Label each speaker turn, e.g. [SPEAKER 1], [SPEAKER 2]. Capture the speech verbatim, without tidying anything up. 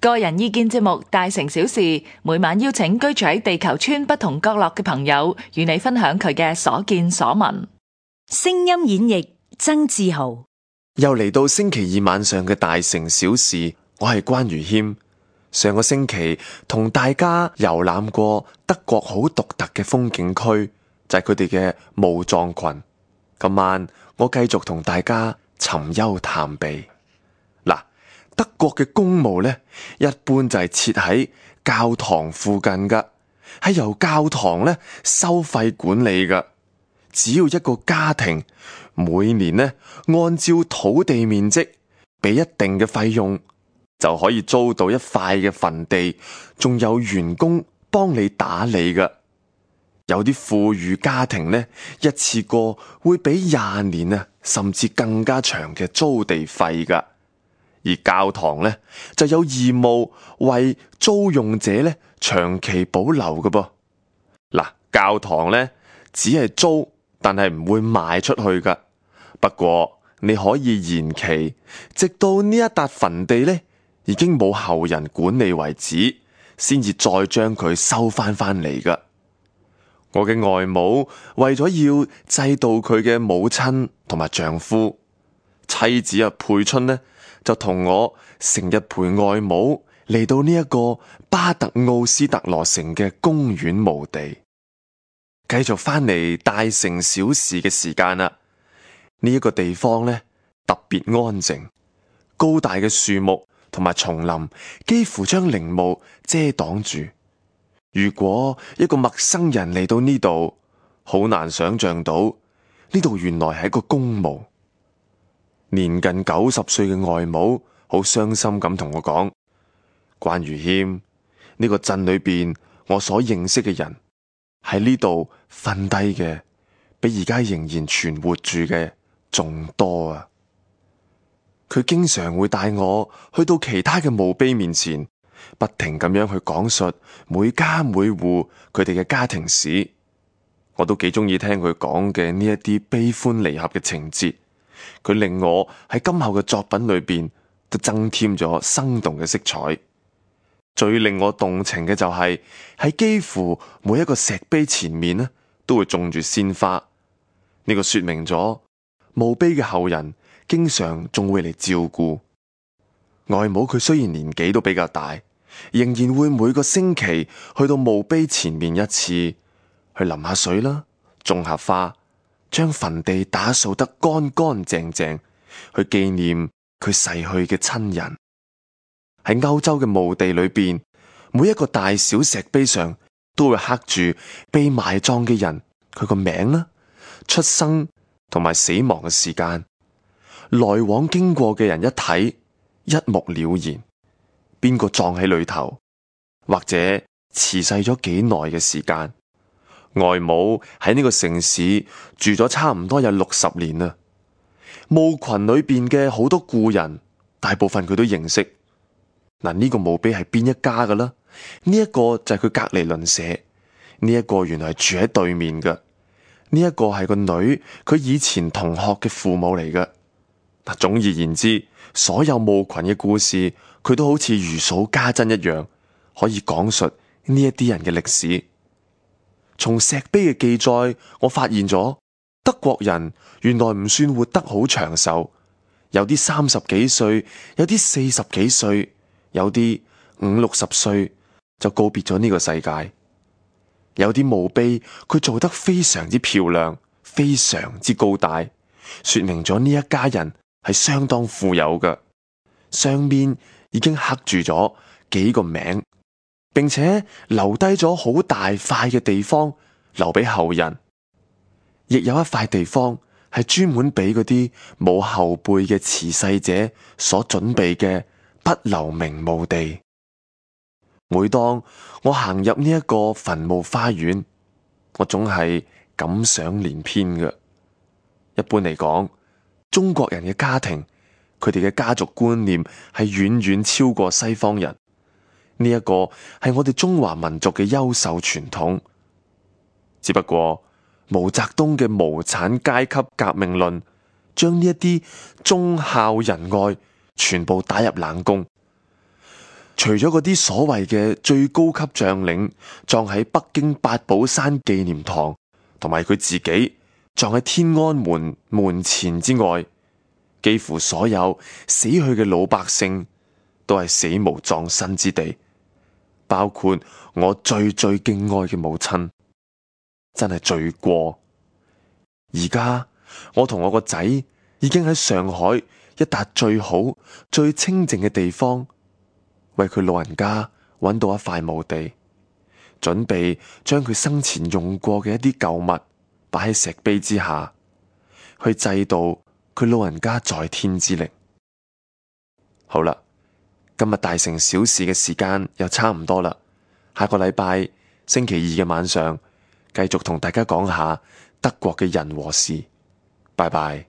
[SPEAKER 1] 個人意見節目《大城小事》，每晚邀請居住喺地球村不同角落嘅朋友，與你分享佢嘅所見所聞。
[SPEAKER 2] 聲音演繹曾志豪。
[SPEAKER 3] 又嚟到星期二晚上嘅大城小事，我係關如謙。上個星期同大家遊覽過德國好獨特嘅風景區，就係佢哋嘅墓葬群。今晚我繼續同大家尋幽探秘。嗱，德國嘅公墓呢，一般就係設喺教堂附近噶，係由教堂呢收費管理噶。只要一個家庭每年呢按照土地面積俾一定嘅費用，就可以租到一塊嘅墳地，仲有員工幫你打理噶。有啲富裕家庭呢，一次過會俾廿年啊，甚至更加長嘅租地費噶。而教堂呢，就有義務為租用者呢長期保留嘅噃。嗱，教堂呢，只係租，但係唔會賣出去噶。不過你可以延期，直到呢一笪墳地呢已經冇後人管理為止，先至再將佢收翻翻嚟噶。我嘅外母為咗要祭悼佢嘅母親同埋丈夫，妻子啊佩春呢就同我成日陪外母嚟到呢一個巴特奧斯特羅城嘅公園墓地。繼續翻嚟大城小事嘅時間啦，呢、這、一個地方呢特別安靜，高大嘅樹木同埋叢林幾乎將陵墓遮擋住。如果一個陌生人嚟到呢度，好難想象到呢度原來係一個公墓。年近九十歲嘅外母好傷心咁同我講：關如謙，呢個鎮裏邊我所認識嘅人喺呢度瞓低嘅，比而家仍然存活住嘅仲多啊！佢經常會帶我去到其他嘅墓碑面前，不停咁樣去講述每家每戶佢哋嘅家庭史。我都幾中意聽佢講嘅呢一啲悲歡離合嘅情節，佢令我喺今後嘅作品裏邊都增添咗生動嘅色彩。最令我動情嘅就係喺幾乎每一個石碑前面呢，都會種住鮮花。呢個說明咗墓碑嘅後人經常仲會嚟照顧。外母佢雖然年紀都比較大，仍然會每個星期去到墓碑前面一次，去淋下水啦，種下花，將墳地打掃得乾乾淨淨，去紀念佢逝去嘅親人。喺歐洲嘅墓地裏邊，每一個大小石碑上都會刻住被埋葬嘅人佢個名啦、出生同埋死亡嘅時間。來往經過嘅人一睇，一目了然，邊個葬喺裏頭，或者辭世咗幾耐嘅時間。外母喺呢個城市住咗差唔多有六十年啦，墓群裏邊嘅好多故人，大部分佢都認識。嗱，呢個墓碑係邊一家㗎啦？呢一個就係佢隔籬鄰舍，呢一個原來係住喺對面嘅，呢一個係個女，佢以前同學嘅父母嚟嘅。嗱，總而言之，所有墓群嘅故事，佢都好似如數家珍一樣，可以講述呢一啲人嘅歷史。從石碑嘅記載，我發現咗德國人原來唔算活得好長壽，有啲三十幾歲，有啲四十幾歲，有啲五六十歲就告別咗呢個世界。有啲墓碑佢做得非常之漂亮，非常之高大，說明咗呢一家人係相當富有嘅。上面已經刻住咗幾個名，並且留低咗好大塊嘅地方留俾後人。亦有一塊地方係專門俾嗰啲冇後輩嘅辭世者所準備嘅不留名墓地。每當我行入呢一個墳墓花園，我總係感想連篇嘅。一般嚟講，中國人嘅家庭，佢哋嘅家族觀念係遠遠超過西方人。呢一個係我哋中華民族嘅優秀傳統。只不過毛澤東嘅無產階級革命論，將呢一啲忠孝仁愛全部打入冷宮。除咗嗰啲所謂嘅最高級將領葬喺北京八寶山紀念堂，同埋佢自己葬喺天安門門前之外，幾乎所有死去嘅老百姓都係死無葬身之地，包括我最最敬愛嘅母親，真係罪過。而家我同我個仔已經喺上海一笪最好、最清靜嘅地方，為佢老人家揾到一塊墓地，準備將佢生前用過嘅一啲舊物擺喺石碑之下，去祭悼佢老人家在天之靈。好啦，今日大城小事嘅時間又差唔多啦，下個禮拜星期二嘅晚上，繼續同大家講下德國嘅人和事。拜拜。